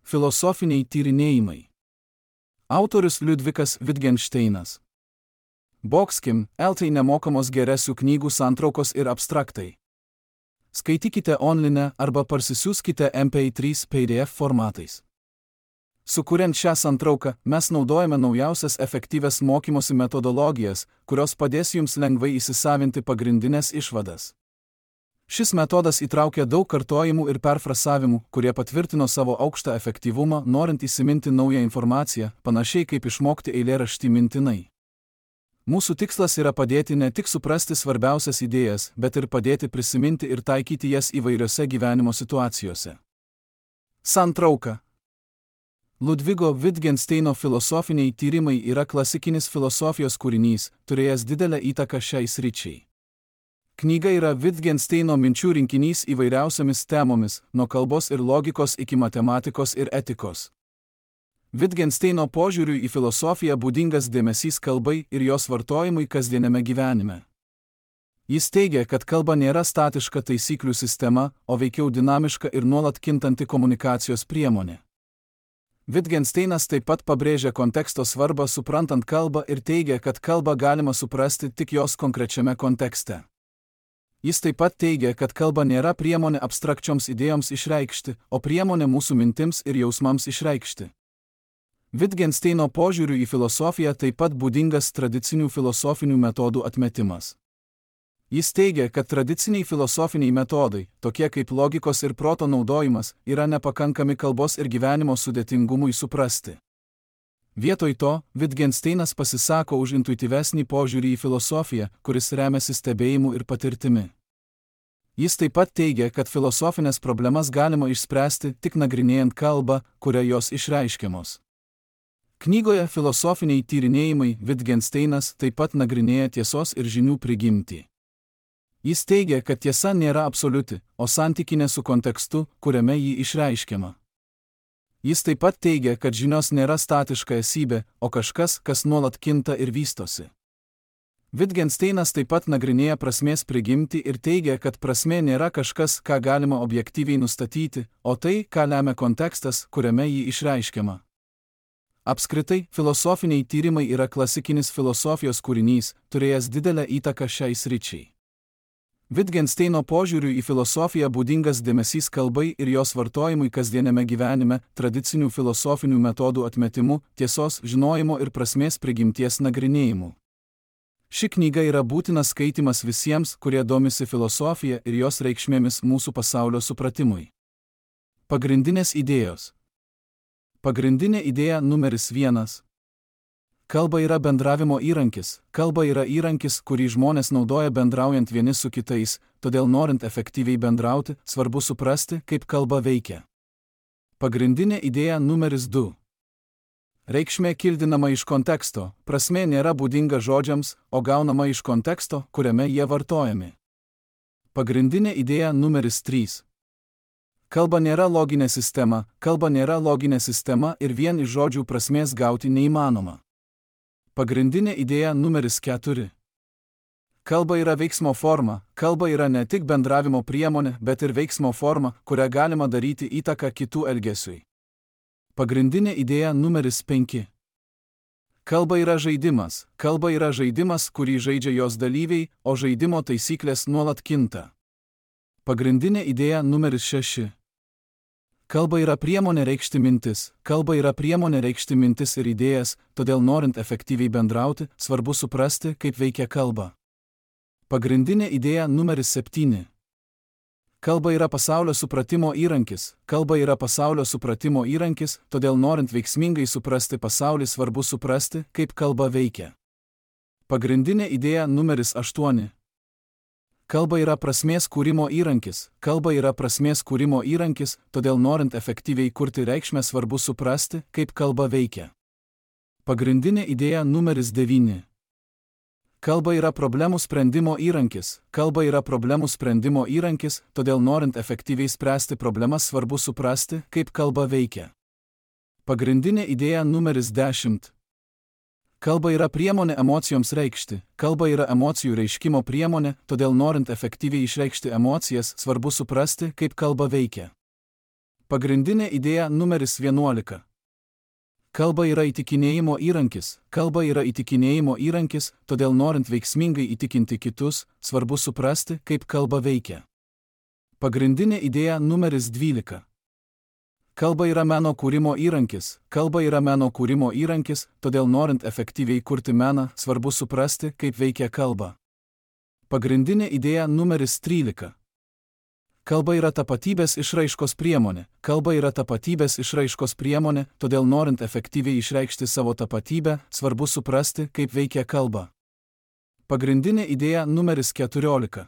Filosofiniai tyrinėjimai. Autorius Liudvikas Wittgensteinas. Boxkim, LT nemokamos geresių knygų santraukos ir abstraktai. Skaitykite online arba parsisiųskite MP3 PDF formatais. Sukuriant šią santrauką, mes naudojame naujausias efektyvias mokymosi metodologijas, kurios padės jums lengvai įsisavinti pagrindinės išvadas. Šis metodas įtraukia daug kartojimų ir perfrasavimų, kurie patvirtino savo aukštą efektyvumą, norint įsiminti naują informaciją, panašiai kaip išmokti eilėraštį mintinai. Mūsų tikslas yra padėti ne tik suprasti svarbiausias idėjas, bet ir padėti prisiminti ir taikyti jas įvairiose gyvenimo situacijose. Santrauka. Liudvigo Wittgensteino filosofiniai tyrimai yra klasikinis filosofijos kūrinys, turėjęs didelę įtaką šiai sričiai. Knyga yra Wittgensteino minčių rinkinys įvairiausiamis temomis, nuo kalbos ir logikos iki matematikos ir etikos. Wittgensteino požiūriui į filosofiją būdingas dėmesys kalbai ir jos vartojimui kasdieniame gyvenime. Jis teigia, kad kalba nėra statiška taisyklių sistema, o veikiau dinamiška ir nuolat kintanti komunikacijos priemonė. Wittgensteinas taip pat pabrėžia konteksto svarbą suprantant kalbą ir teigia, kad kalbą galima suprasti tik jos konkrečiame kontekste. Jis taip pat teigia, kad kalba nėra priemonė abstrakčioms idėjoms išreikšti, o priemonė mūsų mintims ir jausmams išreikšti. Wittgensteino požiūriu į filosofiją taip pat būdingas tradicinių filosofinių metodų atmetimas. Jis teigia, kad tradiciniai filosofiniai metodai, tokie kaip logikos ir proto naudojimas, yra nepakankami kalbos ir gyvenimo sudėtingumui suprasti. Vietoj to, Wittgensteinas pasisako už intuityvesnį požiūrį į filosofiją, kuris remiasi stebėjimu ir patirtimi. Jis taip pat teigia, kad filosofinės problemas galima išspręsti tik nagrinėjant kalbą, kuria jos išreiškiamos. Knygoje Filosofiniai tyrinėjimai Wittgensteinas taip pat nagrinėja tiesos ir žinių prigimtį. Jis teigia, kad tiesa nėra absoliuti, o santykinė su kontekstu, kuriame ji išreiškiama. Jis taip pat teigia, kad žinios nėra statiška esybė, o kažkas, kas nuolat kinta ir vystosi. Wittgensteinas taip pat nagrinėja prasmės prigimtį ir teigia, kad prasmė nėra kažkas, ką galima objektyviai nustatyti, o tai, ką lemia kontekstas, kuriame ji išreiškiama. Apskritai, filosofiniai tyrimai yra klasikinis filosofijos kūrinys, turėjęs didelę įtaką šiai sričiai. Wittgensteino požiūriui į filosofiją būdingas dėmesys kalbai ir jos vartojimui kasdieniame gyvenime, tradicinių filosofinių metodų atmetimu, tiesos, žinojimo ir prasmės prigimties nagrinėjimu. Ši knyga yra būtinas skaitimas visiems, kurie domisi filosofija ir jos reikšmėmis mūsų pasaulio supratimui. Pagrindinės idėjos. Pagrindinė idėja numeris 1. Kalba yra bendravimo įrankis. Kalba yra įrankis, kurį žmonės naudoja bendraujant vieni su kitais, todėl norint efektyviai bendrauti, svarbu suprasti, kaip kalba veikia. Pagrindinė idėja numeris 2. Reikšmė kildinama iš konteksto, prasmė nėra būdinga žodžiams, o gaunama iš konteksto, kuriame jie vartojami. Pagrindinė idėja numeris 3. Kalba nėra loginė sistema ir vien iš žodžių prasmės gauti neįmanoma. Pagrindinė idėja numeris 4. Kalba yra veiksmo forma, kalba yra ne tik bendravimo priemonė, bet ir veiksmo forma, kurią galima daryti įtaką kitų elgesiui. Pagrindinė idėja numeris 5. Kalba yra žaidimas, kurį žaidžia jos dalyviai, o žaidimo taisyklės nuolat kinta. Pagrindinė idėja numeris 6. Kalba yra priemonė reikšti mintis ir idėjas, todėl norint efektyviai bendrauti, svarbu suprasti, kaip veikia kalba. Pagrindinė idėja numeris 7. Kalba yra pasaulio supratimo įrankis, todėl norint veiksmingai suprasti pasaulį, svarbu suprasti, kaip kalba veikia. Pagrindinė idėja numeris 8. Kalba yra prasmės kūrimo įrankis, todėl norint efektyviai kurti reikšmę, svarbu suprasti, kaip kalba veikia. Pagrindinė idėja numeris 9. Kalba yra problemų sprendimo įrankis, todėl norint efektyviai spręsti problemas, svarbu suprasti, kaip kalba veikia. Pagrindinė idėja numeris 10. Kalba yra priemonė emocijoms reikšti, kalba yra emocijų reiškimo priemonė, todėl norint efektyviai išreikšti emocijas, svarbu suprasti, kaip kalba veikia. Pagrindinė idėja numeris 11. Kalba yra įtikinėjimo įrankis. Kalba yra įtikinėjimo įrankis, todėl norint veiksmingai įtikinti kitus, svarbu suprasti, kaip kalba veikia. Pagrindinė idėja numeris 12. Kalba yra meno kūrimo įrankis. Kalba yra meno kūrimo įrankis, todėl norint efektyviai kurti meną, svarbu suprasti, kaip veikia kalba. Pagrindinė idėja numeris 13. Kalba yra tapatybės išraiškos priemonė. Kalba yra tapatybės išraiškos priemonė, todėl norint efektyviai išreikšti savo tapatybę, svarbu suprasti, kaip veikia kalba. Pagrindinė idėja numeris 14.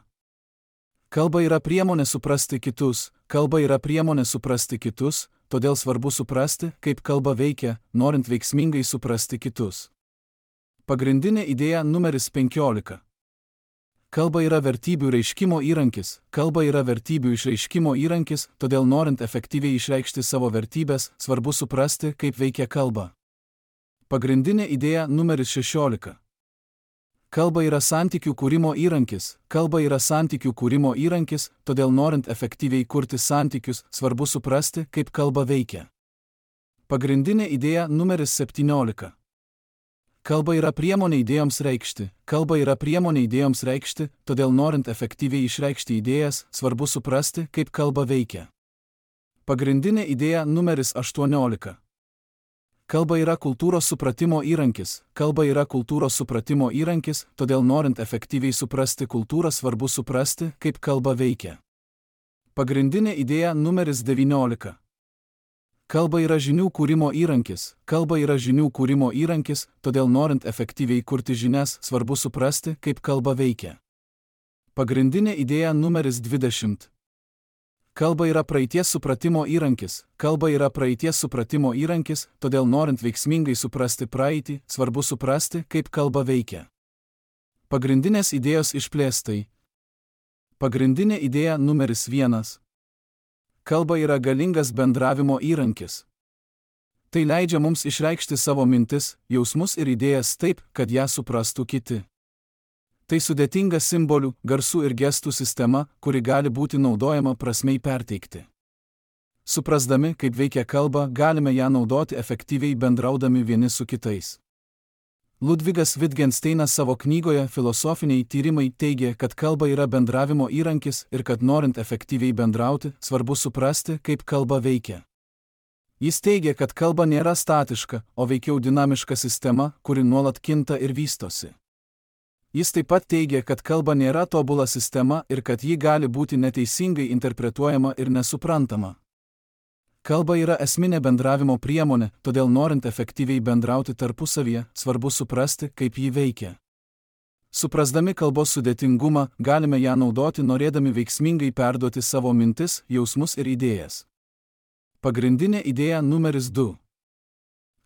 Kalba yra priemonė suprasti kitus. Kalba yra priemonė suprasti kitus, todėl svarbu suprasti, kaip kalba veikia, norint veiksmingai suprasti kitus. Pagrindinė idėja numeris 15. Kalba yra vertybių reiškimo įrankis. Kalba yra vertybių išreiškimo įrankis, todėl norint efektyviai išreikšti savo vertybės, svarbu suprasti, kaip veikia kalba. Pagrindinė idėja numeris 16. Kalba yra santykių kūrimo įrankis. Kalba yra santykių kūrimo įrankis, todėl norint efektyviai kurti santykius, svarbu suprasti, kaip kalba veikia. Pagrindinė idėja numeris 17. Kalba yra priemonė idėjoms reikšti. Kalba yra priemonė idėjoms reikšti, todėl norint efektyviai išreikšti idėjas, svarbu suprasti, kaip kalba veikia. Pagrindinė idėja numeris 18. Kalba yra kultūros supratimo įrankis. Kalba yra kultūros supratimo įrankis, todėl norint efektyviai suprasti kultūrą, svarbu suprasti, kaip kalba veikia. Pagrindinė idėja numeris 19. Kalba yra žinių kūrimo įrankis. Kalba yra žinių kūrimo įrankis, todėl norint efektyviai kurti žinias, svarbu suprasti, kaip kalba veikia. Pagrindinė idėja numeris 20. Kalba yra praeities supratimo įrankis. Kalba yra praeities supratimo įrankis, todėl norint veiksmingai suprasti praeitį, svarbu suprasti, kaip kalba veikia. Pagrindinės idėjos išplėstai. Pagrindinė idėja numeris 1. Kalba yra galingas bendravimo įrankis. Tai leidžia mums išreikšti savo mintis, jausmus ir idėjas taip, kad ją suprastų kiti. Tai sudėtinga simbolių, garsų ir gestų sistema, kuri gali būti naudojama prasmei perteikti. Suprasdami, kaip veikia kalba, galime ją naudoti efektyviai bendraudami vieni su kitais. Ludvigas Wittgensteinas savo knygoje Filosofiniai tyrimai teigia, kad kalba yra bendravimo įrankis ir kad norint efektyviai bendrauti, svarbu suprasti, kaip kalba veikia. Jis teigia, kad kalba nėra statiška, o veikiau dinamiška sistema, kuri nuolat kinta ir vystosi. Jis taip pat teigia, kad kalba nėra tobula sistema ir kad ji gali būti neteisingai interpretuojama ir nesuprantama. Kalba yra esminė bendravimo priemonė, todėl norint efektyviai bendrauti tarpusavyje, svarbu suprasti, kaip ji veikia. Suprasdami kalbos sudėtingumą, galime ją naudoti norėdami veiksmingai perduoti savo mintis, jausmus ir idėjas. Pagrindinė idėja numeris 2.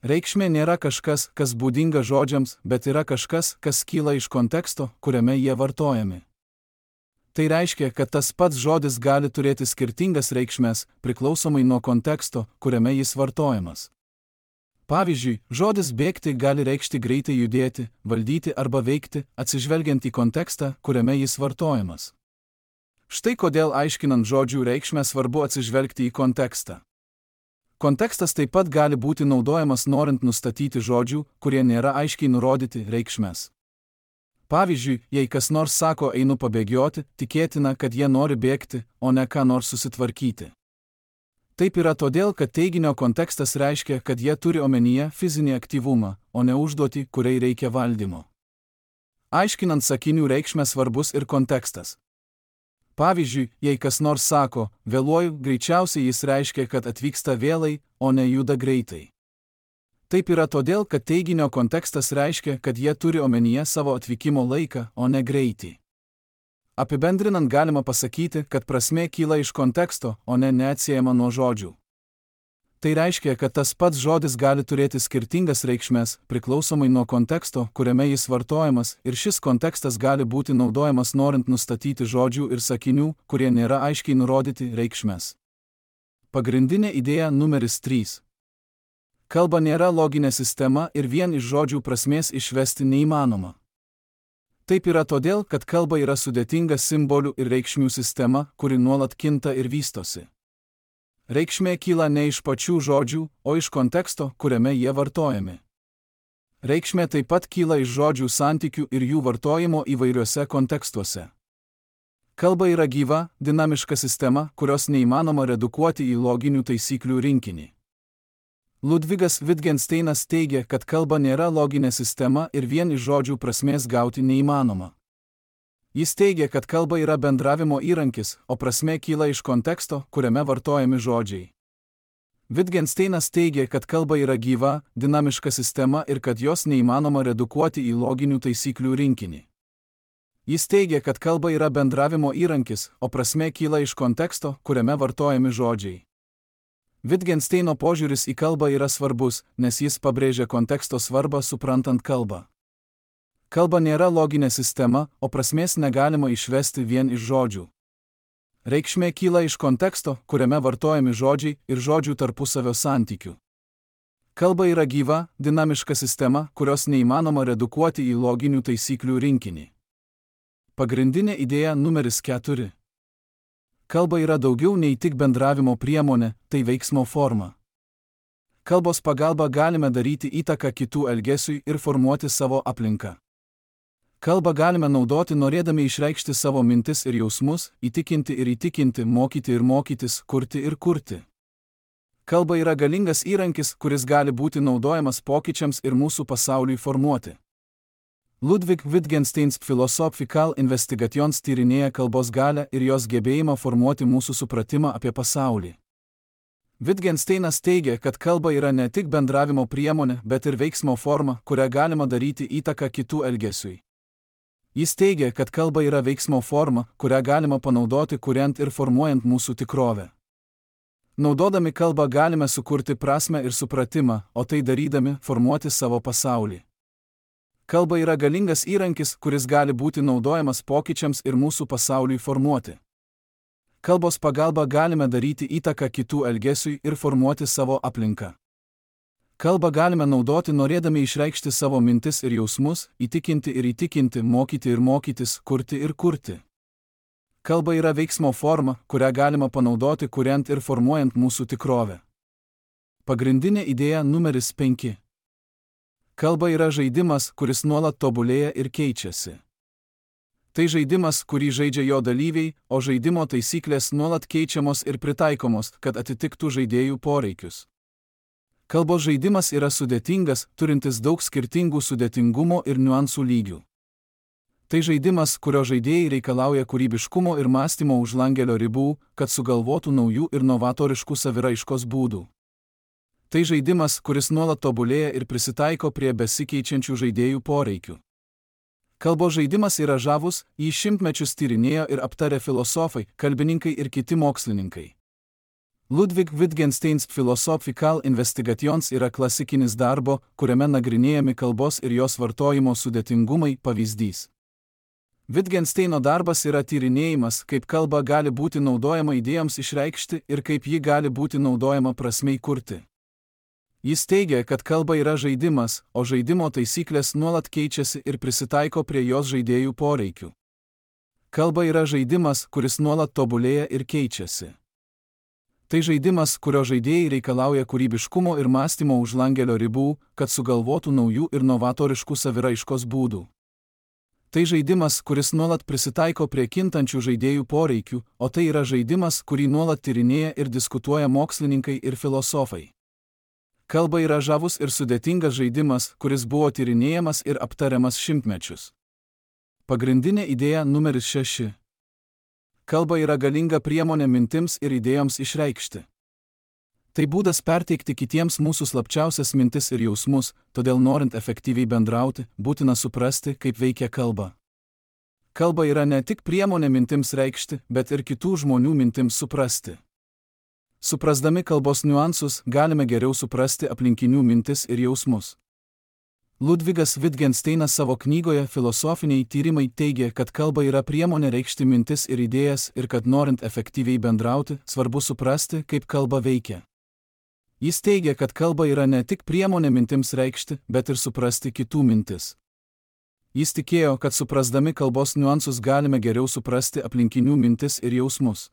Reikšmė nėra kažkas, kas būdinga žodžiams, bet yra kažkas, kas kyla iš konteksto, kuriame jie vartojami. Tai reiškia, kad tas pats žodis gali turėti skirtingas reikšmes, priklausomai nuo konteksto, kuriame jis vartojamas. Pavyzdžiui, žodis bėgti gali reikšti greitai judėti, valdyti arba veikti, atsižvelgiant į kontekstą, kuriame jis vartojamas. Štai kodėl aiškinant žodžių reikšmę svarbu atsižvelgti į kontekstą. Kontekstas taip pat gali būti naudojamas norint nustatyti žodžių, kurie nėra aiškiai nurodyti, reikšmes. Pavyzdžiui, jei kas nors sako einu pabėgioti, tikėtina, kad jie nori bėgti, o ne ką nors susitvarkyti. Taip yra todėl, kad teiginio kontekstas reiškia, kad jie turi omenyje fizinį aktyvumą, o ne užduotį, kuriai reikia valdymo. Aiškinant sakinių reikšmę svarbus ir kontekstas. Pavyzdžiui, jei kas nors sako, vėluoju, greičiausiai jis reiškia, kad atvyksta vėlai, o ne juda greitai. Taip yra todėl, kad teiginio kontekstas reiškia, kad jie turi omenyje savo atvykimo laiką, o ne greitį. Apibendrinant galima pasakyti, kad prasmė kyla iš konteksto, o ne neatsiejama nuo žodžių. Tai reiškia, kad tas pats žodis gali turėti skirtingas reikšmes, priklausomai nuo konteksto, kuriame jis vartojamas, ir šis kontekstas gali būti naudojamas norint nustatyti žodžių ir sakinių, kurie nėra aiškiai nurodyti, reikšmes. Pagrindinė idėja numeris 3. Kalba nėra loginė sistema ir vien iš žodžių prasmės išvesti neįmanoma. Taip yra todėl, kad kalba yra sudėtinga simbolių ir reikšmių sistema, kuri nuolat kinta ir vystosi. Reikšmė kyla ne iš pačių žodžių, o iš konteksto, kuriame jie vartojami. Reikšmė taip pat kyla iš žodžių santykių ir jų vartojimo įvairiuose kontekstuose. Kalba yra gyva, dinamiška sistema, kurios neįmanoma redukuoti į loginių taisyklių rinkinį. Ludvigas Wittgensteinas teigia, kad kalba nėra loginė sistema ir vien iš žodžių prasmės gauti neįmanoma. Jis teigia, kad kalba yra bendravimo įrankis, o prasmė kyla iš konteksto, kuriame vartojami žodžiai. Wittgensteinas teigia, kad kalba yra gyva, dinamiška sistema ir kad jos neįmanoma redukuoti į loginių taisyklių rinkinį. Jis teigia, kad kalba yra bendravimo įrankis, o prasmė kyla iš konteksto, kuriame vartojami žodžiai. Wittgensteino požiūris į kalbą yra svarbus, nes jis pabrėžia konteksto svarbą suprantant kalbą. Kalba nėra loginė sistema, o prasmės negalima išvesti vien iš žodžių. Reikšmė kyla iš konteksto, kuriame vartojami žodžiai ir žodžių tarpusavio santykių. Kalba yra gyva, dinamiška sistema, kurios neįmanoma redukuoti į loginių taisyklių rinkinį. Pagrindinė idėja numeris 4. Kalba yra daugiau nei tik bendravimo priemonė, tai veiksmo forma. Kalbos pagalba galime daryti įtaką kitų elgesiui ir formuoti savo aplinką. Kalbą galime naudoti norėdami išreikšti savo mintis ir jausmus, įtikinti ir įtikinti, mokyti ir mokytis, kurti ir kurti. Kalba yra galingas įrankis, kuris gali būti naudojamas pokyčiams ir mūsų pasauliui formuoti. Ludwig Wittgensteins Philosophical Investigations tyrinėja kalbos galią ir jos gebėjimą formuoti mūsų supratimą apie pasaulį. Wittgensteinas teigia, kad kalba yra ne tik bendravimo priemonė, bet ir veiksmo forma, kurią galima daryti įtaką kitų elgesiui. Jis teigia, kad kalba yra veiksmo forma, kurią galima panaudoti kuriant ir formuojant mūsų tikrovę. Naudodami kalbą galime sukurti prasmę ir supratimą, o tai darydami formuoti savo pasaulį. Kalba yra galingas įrankis, kuris gali būti naudojamas pokyčiams ir mūsų pasauliui formuoti. Kalbos pagalba galime daryti įtaką kitų elgesiui ir formuoti savo aplinką. Kalbą galime naudoti norėdami išreikšti savo mintis ir jausmus, įtikinti ir įtikinti, mokyti ir mokytis, kurti ir kurti. Kalba yra veiksmo forma, kurią galima panaudoti kuriant ir formuojant mūsų tikrovę. Pagrindinė idėja numeris 5. Kalba yra žaidimas, kuris nuolat tobulėja ir keičiasi. Tai žaidimas, kurį žaidžia jo dalyviai, o žaidimo taisyklės nuolat keičiamos ir pritaikomos, kad atitiktų žaidėjų poreikius. Kalbos žaidimas yra sudėtingas, turintis daug skirtingų sudėtingumo ir niuansų lygių. Tai žaidimas, kurio žaidėjai reikalauja kūrybiškumo ir mąstymo už langelio ribų, kad sugalvotų naujų ir novatoriškų saviraiškos būdų. Tai žaidimas, kuris nuolat tobulėja ir prisitaiko prie besikeičiančių žaidėjų poreikių. Kalbos žaidimas yra žavus, jį šimtmečius tyrinėjo ir aptarė filosofai, kalbininkai ir kiti mokslininkai. Ludwig Wittgensteins Philosophical Investigations yra klasikinis darbo, kuriame nagrinėjami kalbos ir jos vartojimo sudėtingumai, pavyzdys. Wittgensteino darbas yra tyrinėjimas, kaip kalba gali būti naudojama idėjoms išreikšti ir kaip ji gali būti naudojama prasmei kurti. Jis teigia, kad kalba yra žaidimas, o žaidimo taisyklės nuolat keičiasi ir prisitaiko prie jos žaidėjų poreikių. Kalba yra žaidimas, kuris nuolat tobulėja ir keičiasi. Tai žaidimas, kurio žaidėjai reikalauja kūrybiškumo ir mąstymo už langelio ribų, kad sugalvotų naujų ir novatoriškų saviraiškos būdų. Tai žaidimas, kuris nuolat prisitaiko prie kintančių žaidėjų poreikių, o tai yra žaidimas, kurį nuolat tyrinėja ir diskutuoja mokslininkai ir filosofai. Kalba yra žavus ir sudėtingas žaidimas, kuris buvo tyrinėjamas ir aptariamas šimtmečius. Pagrindinė idėja numeris 6. Kalba yra galinga priemonė mintims ir idėjoms išreikšti. Tai būdas perteikti kitiems mūsų slapčiausias mintis ir jausmus, todėl norint efektyviai bendrauti, būtina suprasti, kaip veikia kalba. Kalba yra ne tik priemonė mintims reikšti, bet ir kitų žmonių mintims suprasti. Suprasdami kalbos niuansus, galime geriau suprasti aplinkinių mintis ir jausmus. Ludvigas Wittgensteinas savo knygoje Filosofiniai tyrimai teigia, kad kalba yra priemonė reikšti mintis ir idėjas ir kad norint efektyviai bendrauti, svarbu suprasti, kaip kalba veikia. Jis teigia, kad kalba yra ne tik priemonė mintims reikšti, bet ir suprasti kitų mintis. Jis tikėjo, kad suprasdami kalbos niuansus galime geriau suprasti aplinkinių mintis ir jausmus.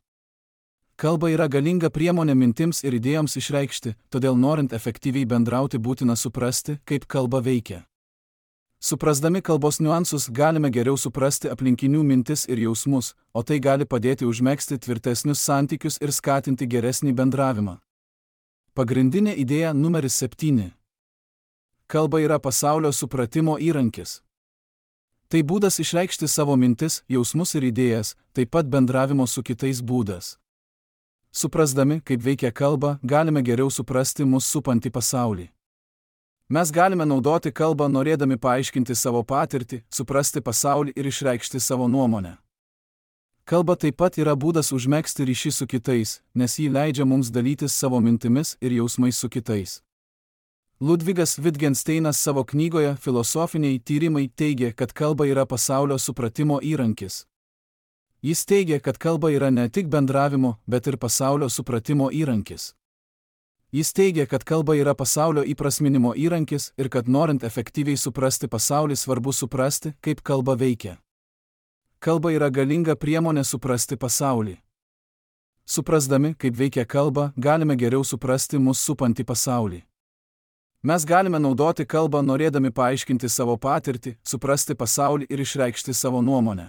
Kalba yra galinga priemonė mintims ir idėjoms išreikšti, todėl norint efektyviai bendrauti būtina suprasti, kaip kalba veikia. Suprasdami kalbos niuansus galime geriau suprasti aplinkinių mintis ir jausmus, o tai gali padėti užmegzti tvirtesnius santykius ir skatinti geresnį bendravimą. Pagrindinė idėja numeris 7. Kalba yra pasaulio supratimo įrankis. Tai būdas išreikšti savo mintis, jausmus ir idėjas, taip pat bendravimo su kitais būdas. Suprasdami, kaip veikia kalba, galime geriau suprasti mus supantį pasaulį. Mes galime naudoti kalbą norėdami paaiškinti savo patirtį, suprasti pasaulį ir išreikšti savo nuomonę. Kalba taip pat yra būdas užmegzti ryšį su kitais, nes ji leidžia mums dalytis savo mintimis ir jausmais su kitais. Ludvigas Wittgensteinas savo knygoje Filosofiniai tyrimai teigia, kad kalba yra pasaulio supratimo įrankis. Jis teigia, kad kalba yra ne tik bendravimo, bet ir pasaulio supratimo įrankis. Jis teigia, kad kalba yra pasaulio įprasminimo įrankis ir kad norint efektyviai suprasti pasaulį svarbu suprasti, kaip kalba veikia. Kalba yra galinga priemonė suprasti pasaulį. Suprasdami, kaip veikia kalba, galime geriau suprasti mus supantį pasaulį. Mes galime naudoti kalbą norėdami paaiškinti savo patirtį, suprasti pasaulį ir išreikšti savo nuomonę.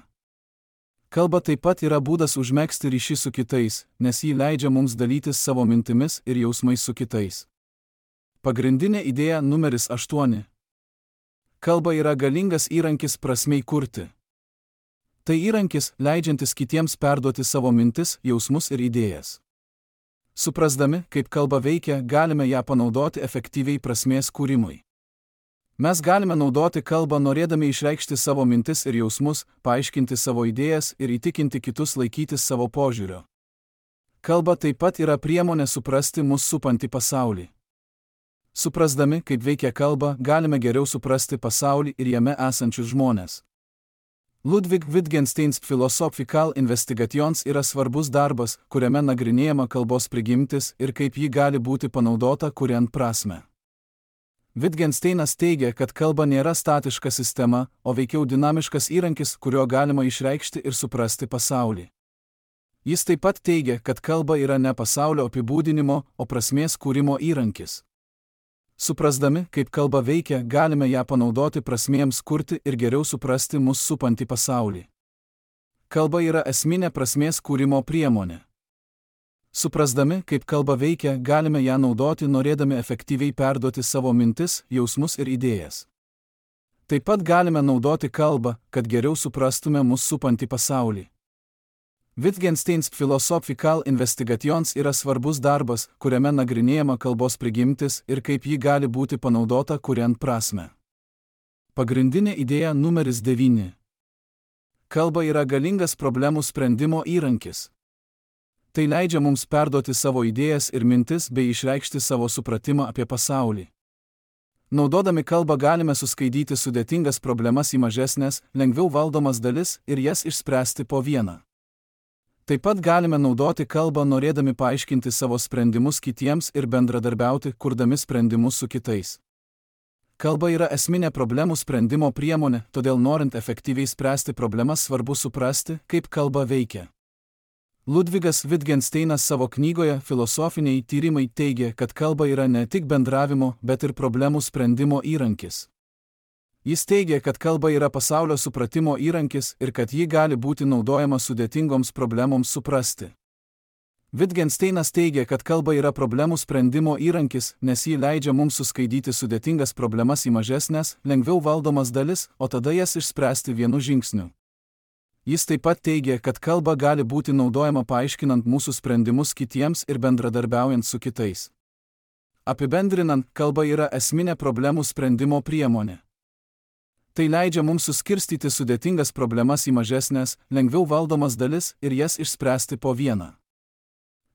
Kalba taip pat yra būdas užmegzti ryšį su kitais, nes ji leidžia mums dalytis savo mintimis ir jausmais su kitais. Pagrindinė idėja numeris 8. Kalba yra galingas įrankis prasmei kurti. Tai įrankis, leidžiantis kitiems perduoti savo mintis, jausmus ir idėjas. Suprasdami, kaip kalba veikia, galime ją panaudoti efektyviai prasmės kūrimui. Mes galime naudoti kalbą norėdami išreikšti savo mintis ir jausmus, paaiškinti savo idėjas ir įtikinti kitus laikytis savo požiūrio. Kalba taip pat yra priemonė suprasti mus supantį pasaulį. Suprasdami, kaip veikia kalba, galime geriau suprasti pasaulį ir jame esančius žmones. Ludwig Wittgensteins Philosophical Investigations yra svarbus darbas, kuriame nagrinėjama kalbos prigimtis ir kaip ji gali būti panaudota kuriant prasmę. Wittgensteinas teigia, kad kalba nėra statiška sistema, o veikiau dinamiškas įrankis, kuriuo galima išreikšti ir suprasti pasaulį. Jis taip pat teigia, kad kalba yra ne pasaulio apibūdinimo, o prasmės kūrimo įrankis. Suprasdami, kaip kalba veikia, galime ją panaudoti prasmėms kurti ir geriau suprasti mus supantį pasaulį. Kalba yra esminė prasmės kūrimo priemonė. Suprasdami, kaip kalba veikia, galime ją naudoti norėdami efektyviai perduoti savo mintis, jausmus ir idėjas. Taip pat galime naudoti kalbą, kad geriau suprastume mus supantį pasaulį. Wittgensteins Philosophical Investigations yra svarbus darbas, kuriame nagrinėjama kalbos prigimtis ir kaip ji gali būti panaudota kuriant prasmę. Pagrindinė idėja numeris 9. Kalba yra galingas problemų sprendimo įrankis. Tai leidžia mums perduoti savo idėjas ir mintis bei išreikšti savo supratimą apie pasaulį. Naudodami kalbą galime suskaidyti sudėtingas problemas į mažesnės, lengviau valdomas dalis ir jas išspręsti po vieną. Taip pat galime naudoti kalbą norėdami paaiškinti savo sprendimus kitiems ir bendradarbiauti, kurdami sprendimus su kitais. Kalba yra esminė problemų sprendimo priemonė, todėl norint efektyviai spręsti problemas svarbu suprasti, kaip kalba veikia. Ludvigas Wittgensteinas savo knygoje Filosofiniai tyrimai teigia, kad kalba yra ne tik bendravimo, bet ir problemų sprendimo įrankis. Jis teigia, kad kalba yra pasaulio supratimo įrankis ir kad ji gali būti naudojama sudėtingoms problemoms suprasti. Wittgensteinas teigia, kad kalba yra problemų sprendimo įrankis, nes ji leidžia mums suskaidyti sudėtingas problemas į mažesnės, lengviau valdomas dalis, o tada jas išspręsti vienu žingsniu. Jis taip pat teigia, kad kalba gali būti naudojama paaiškinant mūsų sprendimus kitiems ir bendradarbiaujant su kitais. Apibendrinant, kalba yra esminė problemų sprendimo priemonė. Tai leidžia mums suskirstyti sudėtingas problemas į mažesnės, lengviau valdomas dalis ir jas išspręsti po vieną.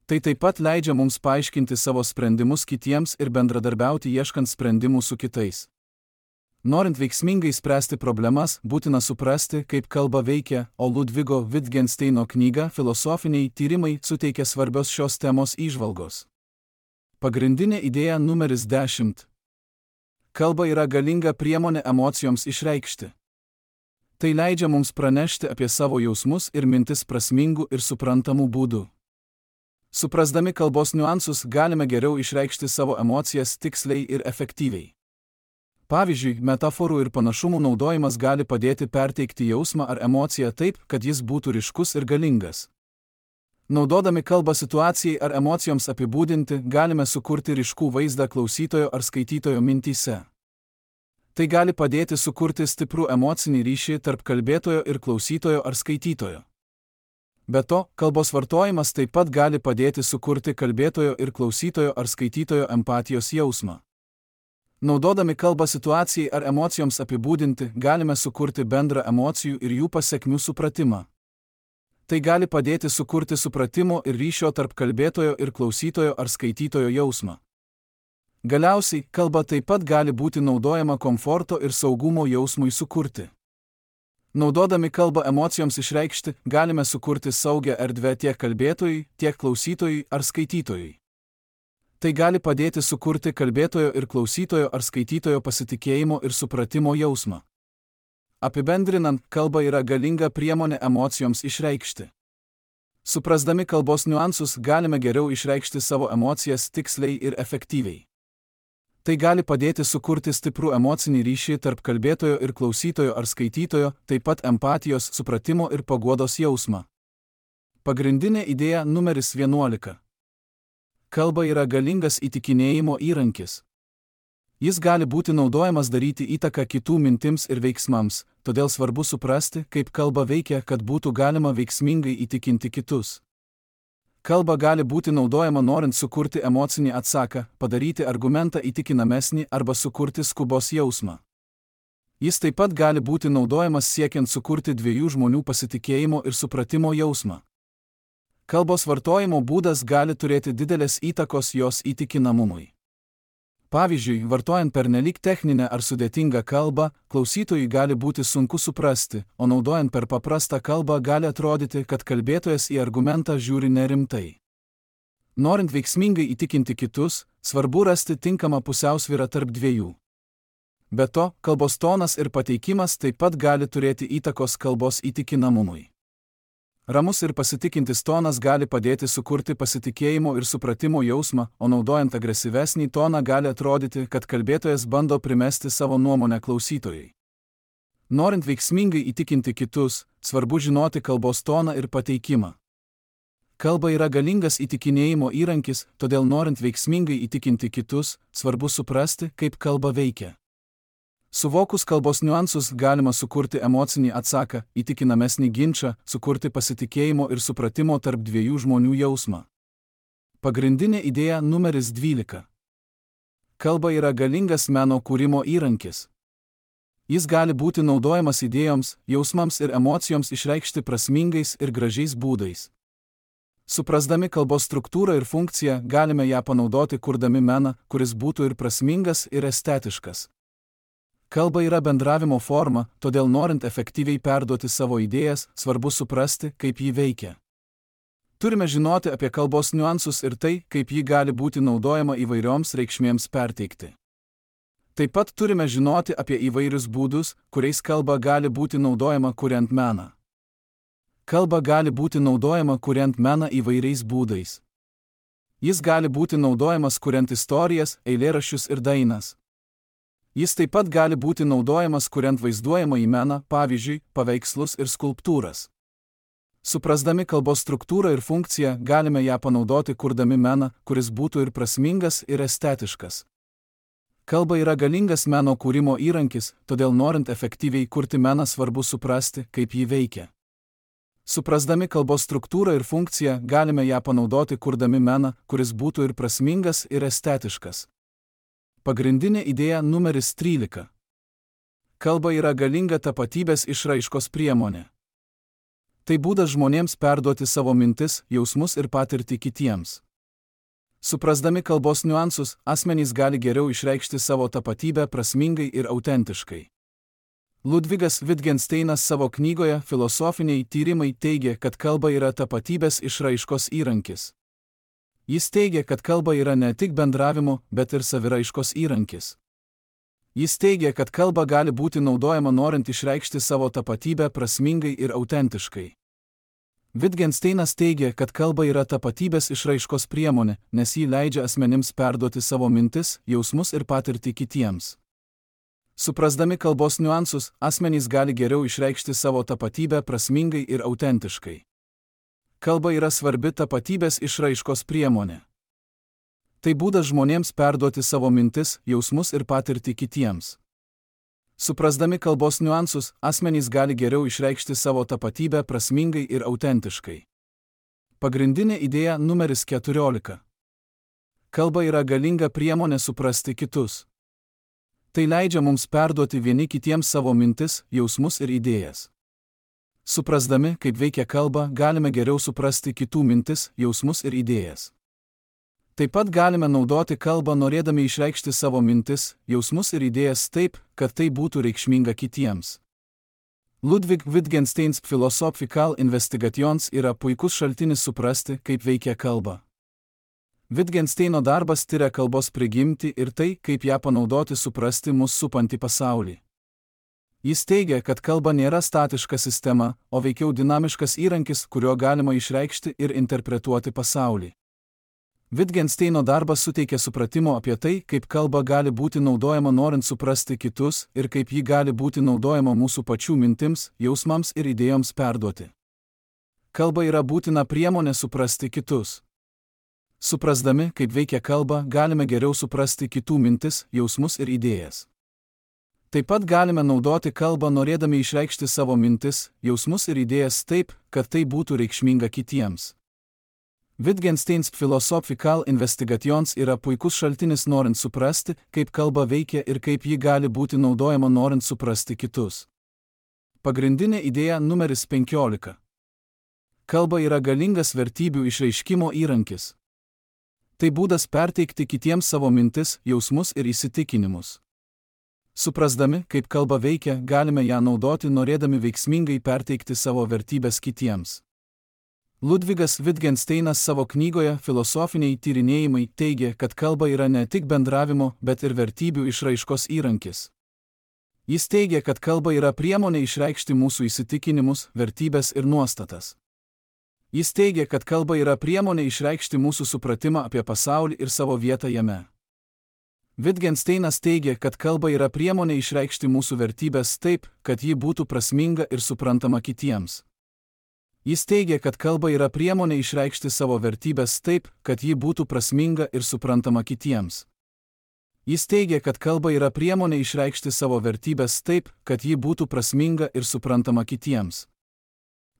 Tai taip pat leidžia mums paaiškinti savo sprendimus kitiems ir bendradarbiauti ieškant sprendimų su kitais. Norint veiksmingai spręsti problemas, būtina suprasti, kaip kalba veikia, o Ludvigo Wittgensteino knyga Filosofiniai tyrimai suteikia svarbios šios temos įžvalgos. Pagrindinė idėja numeris 10. Kalba yra galinga priemonė emocijoms išreikšti. Tai leidžia mums pranešti apie savo jausmus ir mintis prasmingų ir suprantamų būdų. Suprasdami kalbos niuansus galime geriau išreikšti savo emocijas tiksliai ir efektyviai. Pavyzdžiui, metaforų ir panašumų naudojimas gali padėti perteikti jausmą ar emociją taip, kad jis būtų ryškus ir galingas. Naudodami kalbą situacijai ar emocijoms apibūdinti, galime sukurti ryškų vaizdą klausytojo ar skaitytojo mintyse. Tai gali padėti sukurti stiprų emocinį ryšį tarp kalbėtojo ir klausytojo ar skaitytojo. Be to, kalbos vartojimas taip pat gali padėti sukurti kalbėtojo ir klausytojo ar skaitytojo empatijos jausmą. Naudodami kalbą situacijai ar emocijoms apibūdinti, galime sukurti bendrą emocijų ir jų pasekmių supratimą. Tai gali padėti sukurti supratimo ir ryšio tarp kalbėtojo ir klausytojo ar skaitytojo jausmą. Galiausiai, kalba taip pat gali būti naudojama komforto ir saugumo jausmui sukurti. Naudodami kalbą emocijoms išreikšti, galime sukurti saugią erdvę tiek kalbėtojui, tiek klausytojui ar skaitytojui. Tai gali padėti sukurti kalbėtojo ir klausytojo ar skaitytojo pasitikėjimo ir supratimo jausmą. Apibendrinant, kalba yra galinga priemonė emocijoms išreikšti. Suprasdami kalbos niuansus galime geriau išreikšti savo emocijas tiksliai ir efektyviai. Tai gali padėti sukurti stiprų emocinį ryšį tarp kalbėtojo ir klausytojo ar skaitytojo, taip pat empatijos, supratimo ir paguodos jausmą. Pagrindinė idėja numeris 11. Kalba yra galingas įtikinėjimo įrankis. Jis gali būti naudojamas daryti įtaką kitų mintims ir veiksmams, todėl svarbu suprasti, kaip kalba veikia, kad būtų galima veiksmingai įtikinti kitus. Kalba gali būti naudojama norint sukurti emocinį atsaką, padaryti argumentą įtikinamesnį arba sukurti skubos jausmą. Jis taip pat gali būti naudojamas siekiant sukurti dviejų žmonių pasitikėjimo ir supratimo jausmą. Kalbos vartojimo būdas gali turėti didelės įtakos jos įtikinamumui. Pavyzdžiui, vartojant pernelyg techninę ar sudėtingą kalbą, klausytojui gali būti sunku suprasti, o naudojant per paprastą kalbą gali atrodyti, kad kalbėtojas į argumentą žiūri nerimtai. Norint veiksmingai įtikinti kitus, svarbu rasti tinkamą pusiausvyrą tarp dviejų. Be to, kalbos tonas ir pateikimas taip pat gali turėti įtakos kalbos įtikinamumui. Ramus ir pasitikintis tonas gali padėti sukurti pasitikėjimo ir supratimo jausmą, o naudojant agresyvesnį toną gali atrodyti, kad kalbėtojas bando primesti savo nuomonę klausytojai. Norint veiksmingai įtikinti kitus, svarbu žinoti kalbos toną ir pateikimą. Kalba yra galingas įtikinėjimo įrankis, todėl norint veiksmingai įtikinti kitus, svarbu suprasti, kaip kalba veikia. Suvokus kalbos niuansus galima sukurti emocinį atsaką, įtikinamesnį ginčą, sukurti pasitikėjimo ir supratimo tarp dviejų žmonių jausmą. Pagrindinė idėja numeris 12. Kalba yra galingas meno kūrimo įrankis. Jis gali būti naudojamas idėjoms, jausmams ir emocijoms išreikšti prasmingais ir gražiais būdais. Suprasdami kalbos struktūrą ir funkciją, galime ją panaudoti kurdami meną, kuris būtų ir prasmingas, ir estetiškas. Kalba yra bendravimo forma, todėl norint efektyviai perduoti savo idėjas, svarbu suprasti, kaip ji veikia. Turime žinoti apie kalbos niuansus ir tai, kaip ji gali būti naudojama įvairioms reikšmėms perteikti. Taip pat turime žinoti apie įvairius būdus, kuriais kalba gali būti naudojama kuriant meną. Kalba gali būti naudojama kuriant meną įvairiais būdais. Jis gali būti naudojamas kuriant istorijas, eilėraščius ir dainas. Jis taip pat gali būti naudojamas kuriant vaizduojamąjį meną, pavyzdžiui, paveikslus ir skulptūras. Suprasdami kalbos struktūrą ir funkciją, galime ją panaudoti kurdami meną, kuris būtų ir prasmingas, ir estetiškas. Kalba yra galingas meno kūrimo įrankis, todėl norint efektyviai kurti meną svarbu suprasti, kaip ji veikia. Suprasdami kalbos struktūrą ir funkciją, galime ją panaudoti kurdami meną, kuris būtų ir prasmingas, ir estetiškas. Pagrindinė idėja numeris 13. Kalba yra galinga tapatybės išraiškos priemonė. Tai būdas žmonėms perduoti savo mintis, jausmus ir patirtį kitiems. Suprasdami kalbos niuansus, asmenys gali geriau išreikšti savo tapatybę prasmingai ir autentiškai. Ludvigas Wittgensteinas savo knygoje Filosofiniai tyrimai teigia, kad kalba yra tapatybės išraiškos įrankis. Jis teigia, kad kalba yra ne tik bendravimo, bet ir saviraiškos įrankis. Jis teigia, kad kalba gali būti naudojama norint išreikšti savo tapatybę prasmingai ir autentiškai. Wittgensteinas teigia, kad kalba yra tapatybės išraiškos priemonė, nes ji leidžia asmenims perduoti savo mintis, jausmus ir patirtį kitiems. Suprasdami kalbos niuansus, asmenys gali geriau išreikšti savo tapatybę prasmingai ir autentiškai. Kalba yra svarbi tapatybės išraiškos priemonė. Tai būdas žmonėms perduoti savo mintis, jausmus ir patirtį kitiems. Suprasdami kalbos niuansus, asmenys gali geriau išreikšti savo tapatybę prasmingai ir autentiškai. Pagrindinė idėja numeris 14. Kalba yra galinga priemonė suprasti kitus. Tai leidžia mums perduoti vieni kitiems savo mintis, jausmus ir idėjas. Suprasdami, kaip veikia kalba, galime geriau suprasti kitų mintis, jausmus ir idėjas. Taip pat galime naudoti kalbą norėdami išreikšti savo mintis, jausmus ir idėjas taip, kad tai būtų reikšminga kitiems. Ludwig Wittgensteins Philosophical Investigations yra puikus šaltinis suprasti, kaip veikia kalba. Wittgensteino darbas tiria kalbos prigimtį ir tai, kaip ją panaudoti suprasti mus supantį pasaulį. Jis teigia, kad kalba nėra statiška sistema, o veikiau dinamiškas įrankis, kuriuo galima išreikšti ir interpretuoti pasaulį. Wittgensteino darbas suteikia supratimo apie tai, kaip kalba gali būti naudojama norint suprasti kitus ir kaip ji gali būti naudojama mūsų pačių mintims, jausmams ir idėjoms perduoti. Kalba yra būtina priemonė suprasti kitus. Suprasdami, kaip veikia kalba, galime geriau suprasti kitų mintis, jausmus ir idėjas. Taip pat galime naudoti kalbą norėdami išreikšti savo mintis, jausmus ir idėjas taip, kad tai būtų reikšminga kitiems. Wittgensteins Philosophical Investigations yra puikus šaltinis norint suprasti, kaip kalba veikia ir kaip ji gali būti naudojama norint suprasti kitus. Pagrindinė idėja numeris 15. Kalba yra galingas vertybių išreiškimo įrankis. Tai būdas perteikti kitiems savo mintis, jausmus ir įsitikinimus. Suprasdami, kaip kalba veikia, galime ją naudoti norėdami veiksmingai perteikti savo vertybės kitiems. Ludvigas Wittgensteinas savo knygoje Filosofiniai tyrinėjimai teigia, kad kalba yra ne tik bendravimo, bet ir vertybių išraiškos įrankis. Jis teigia, kad kalba yra priemonė išreikšti mūsų įsitikinimus, vertybės ir nuostatas. Jis teigia, kad kalba yra priemonė išreikšti mūsų supratimą apie pasaulį ir savo vietą jame. Wittgensteinas teigia, kad kalba yra priemonė išreikšti mūsų vertybės taip, kad ji būtų prasminga ir suprantama kitiems. Jis teigia, kad kalba yra priemonė išreikšti savo vertybės taip, kad ji būtų prasminga ir suprantama kitiems. Jis teigia, kad kalba yra priemonė išreikšti savo vertybės taip, kad ji būtų prasminga ir suprantama kitiems.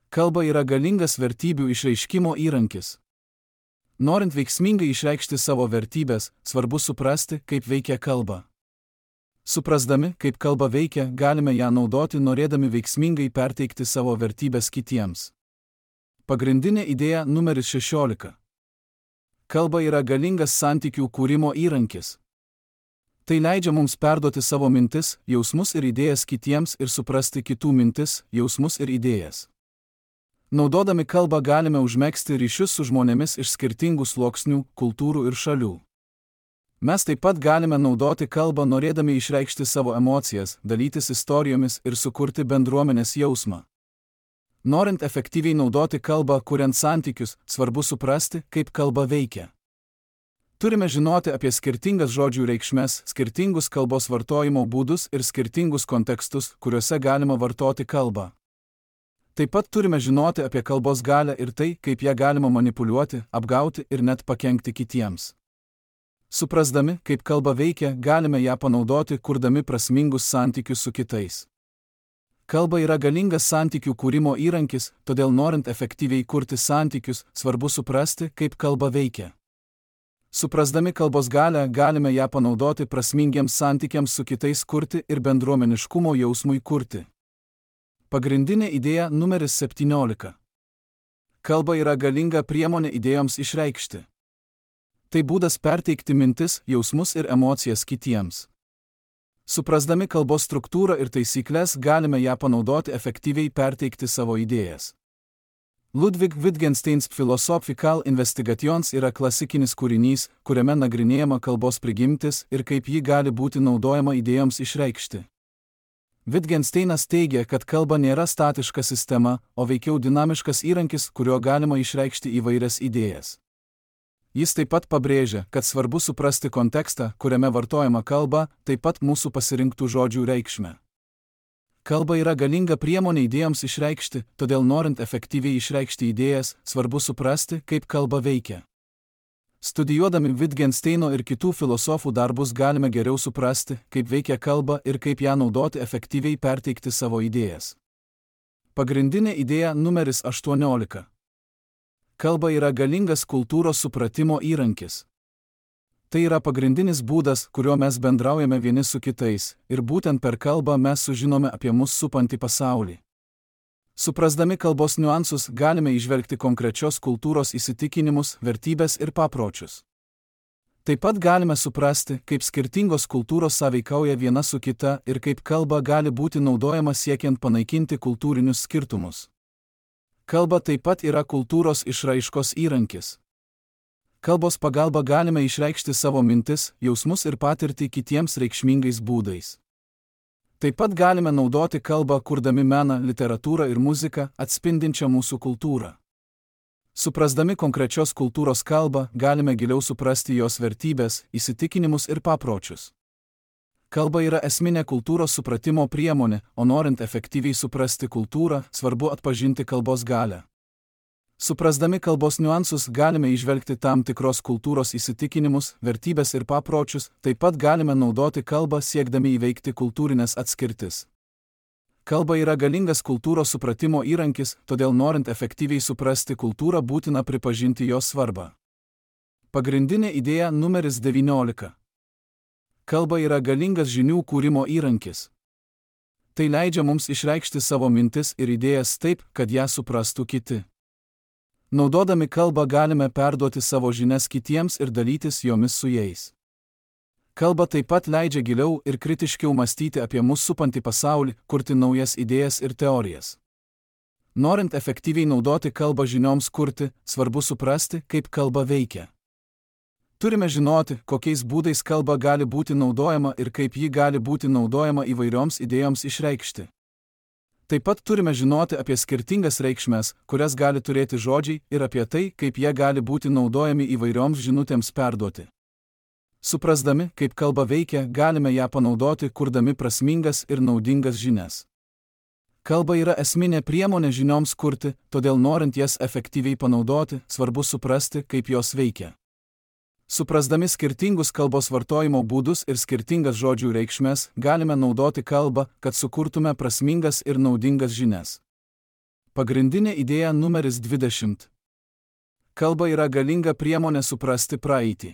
Kalba yra galingas vertybių išreiškimo įrankis. Norint veiksmingai išreikšti savo vertybės, svarbu suprasti, kaip veikia kalba. Suprasdami, kaip kalba veikia, galime ją naudoti norėdami veiksmingai perteikti savo vertybės kitiems. Pagrindinė idėja numeris 16. Kalba yra galingas santykių kūrimo įrankis. Tai leidžia mums perduoti savo mintis, jausmus ir idėjas kitiems ir suprasti kitų mintis, jausmus ir idėjas. Naudodami kalbą galime užmegzti ryšius su žmonėmis iš skirtingų sluoksnių, kultūrų ir šalių. Mes taip pat galime naudoti kalbą norėdami išreikšti savo emocijas, dalytis istorijomis ir sukurti bendruomenės jausmą. Norint efektyviai naudoti kalbą, kuriant santykius, svarbu suprasti, kaip kalba veikia. Turime žinoti apie skirtingas žodžių reikšmes, skirtingus kalbos vartojimo būdus ir skirtingus kontekstus, kuriuose galima vartoti kalbą. Taip pat turime žinoti apie kalbos galią ir tai, kaip ją galima manipuliuoti, apgauti ir net pakenkti kitiems. Suprasdami, kaip kalba veikia, galime ją panaudoti, kurdami prasmingus santykius su kitais. Kalba yra galingas santykių kūrimo įrankis, todėl norint efektyviai kurti santykius, svarbu suprasti, kaip kalba veikia. Suprasdami kalbos galią, galime ją panaudoti prasmingiems santykiams su kitais kurti ir bendruomeniškumo jausmui kurti. Pagrindinė idėja numeris 17. Kalba yra galinga priemonė idėjoms išreikšti. Tai būdas perteikti mintis, jausmus ir emocijas kitiems. Suprasdami kalbos struktūrą ir taisyklės, galime ją panaudoti efektyviai perteikti savo idėjas. Ludwig Wittgensteins Philosophical Investigations yra klasikinis kūrinys, kuriame nagrinėjama kalbos prigimtis ir kaip ji gali būti naudojama idėjoms išreikšti. Wittgensteinas teigia, kad kalba nėra statiška sistema, o veikiau dinamiškas įrankis, kuriuo galima išreikšti įvairias idėjas. Jis taip pat pabrėžia, kad svarbu suprasti kontekstą, kuriame vartojama kalba, taip pat mūsų pasirinktų žodžių reikšmę. Kalba yra galinga priemonė idėjoms išreikšti, todėl norint efektyviai išreikšti idėjas, svarbu suprasti, kaip kalba veikia. Studijuodami Wittgensteino ir kitų filosofų darbus galime geriau suprasti, kaip veikia kalba ir kaip ją naudoti efektyviai perteikti savo idėjas. Pagrindinė idėja numeris 18. Kalba yra galingas kultūros supratimo įrankis. Tai yra pagrindinis būdas, kuriuo mes bendraujame vieni su kitais, ir būtent per kalbą mes sužinome apie mus supantį pasaulį. Suprasdami kalbos niuansus galime įžvelgti konkrečios kultūros įsitikinimus, vertybės ir papročius. Taip pat galime suprasti, kaip skirtingos kultūros sąveikauja viena su kita ir kaip kalba gali būti naudojama siekiant panaikinti kultūrinius skirtumus. Kalba taip pat yra kultūros išraiškos įrankis. Kalbos pagalba galime išreikšti savo mintis, jausmus ir patirtį kitiems reikšmingais būdais. Taip pat galime naudoti kalbą, kurdami meną, literatūrą ir muziką, atspindinčią mūsų kultūrą. Suprasdami konkrečios kultūros kalbą, galime giliau suprasti jos vertybės, įsitikinimus ir papročius. Kalba yra esminė kultūros supratimo priemonė, o norint efektyviai suprasti kultūrą, svarbu atpažinti kalbos galią. Suprasdami kalbos niuansus galime įžvelgti tam tikros kultūros įsitikinimus, vertybės ir papročius, taip pat galime naudoti kalbą siekdami įveikti kultūrinės atskirtis. Kalba yra galingas kultūros supratimo įrankis, todėl norint efektyviai suprasti kultūrą būtina pripažinti jos svarbą. Pagrindinė idėja numeris 19. Kalba yra galingas žinių kūrimo įrankis. Tai leidžia mums išreikšti savo mintis ir idėjas taip, kad ją suprastų kiti. Naudodami kalbą galime perduoti savo žinias kitiems ir dalytis jomis su jais. Kalba taip pat leidžia giliau ir kritiškiau mąstyti apie mus supantį pasaulį, kurti naujas idėjas ir teorijas. Norint efektyviai naudoti kalbą žinioms kurti, svarbu suprasti, kaip kalba veikia. Turime žinoti, kokiais būdais kalba gali būti naudojama ir kaip ji gali būti naudojama įvairioms idėjoms išreikšti. Taip pat turime žinoti apie skirtingas reikšmes, kurias gali turėti žodžiai, ir apie tai, kaip jie gali būti naudojami įvairioms žinutėms perduoti. Suprasdami, kaip kalba veikia, galime ją panaudoti, kurdami prasmingas ir naudingas žinias. Kalba yra esminė priemonė žinioms kurti, todėl norint jas efektyviai panaudoti, svarbu suprasti, kaip jos veikia. Suprasdami skirtingus kalbos vartojimo būdus ir skirtingas žodžių reikšmes, galime naudoti kalbą, kad sukurtume prasmingas ir naudingas žinias. Pagrindinė idėja numeris 20. Kalba yra galinga priemonė suprasti praeitį.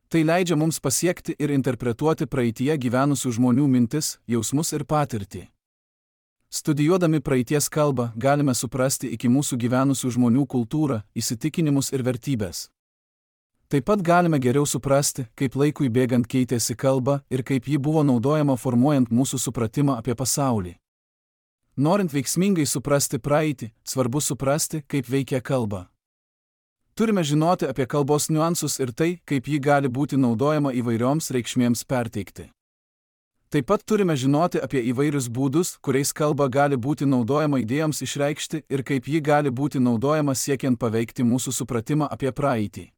Tai leidžia mums pasiekti ir interpretuoti praeityje gyvenusių žmonių mintis, jausmus ir patirtį. Studijuodami praeities kalbą, galime suprasti iki mūsų gyvenusių žmonių kultūrą, įsitikinimus ir vertybės. Taip pat galime geriau suprasti, kaip laikui bėgant keitėsi kalba ir kaip ji buvo naudojama formuojant mūsų supratimą apie pasaulį. Norint veiksmingai suprasti praeitį, svarbu suprasti, kaip veikia kalba. Turime žinoti apie kalbos niuansus ir tai, kaip ji gali būti naudojama įvairioms reikšmėms perteikti. Taip pat turime žinoti apie įvairius būdus, kuriais kalba gali būti naudojama idėjoms išreikšti ir kaip ji gali būti naudojama siekiant paveikti mūsų supratimą apie praeitį.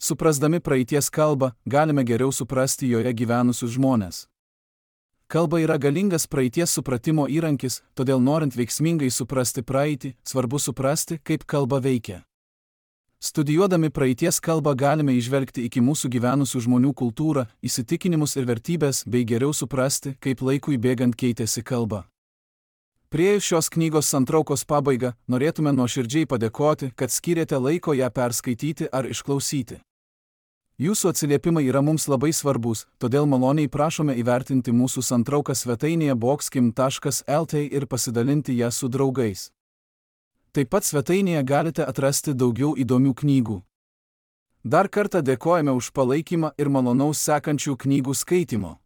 Suprasdami praeities kalbą, galime geriau suprasti joje gyvenusius žmones. Kalba yra galingas praeities supratimo įrankis, todėl norint veiksmingai suprasti praeitį, svarbu suprasti, kaip kalba veikia. Studijuodami praeities kalbą galime įžvelgti iki mūsų gyvenusių žmonių kultūrą, įsitikinimus ir vertybės, bei geriau suprasti, kaip laikui bėgant keitėsi kalba. Priėjus šios knygos santraukos pabaigą, norėtume nuoširdžiai padėkoti, kad skyrėte laiko ją perskaityti ar išklausyti. Jūsų atsiliepimai yra mums labai svarbus, todėl maloniai prašome įvertinti mūsų santrauką svetainėje boxkim.lt ir pasidalinti ją su draugais. Taip pat svetainėje galite atrasti daugiau įdomių knygų. Dar kartą dėkojame už palaikymą ir malonaus sekančių knygų skaitimo.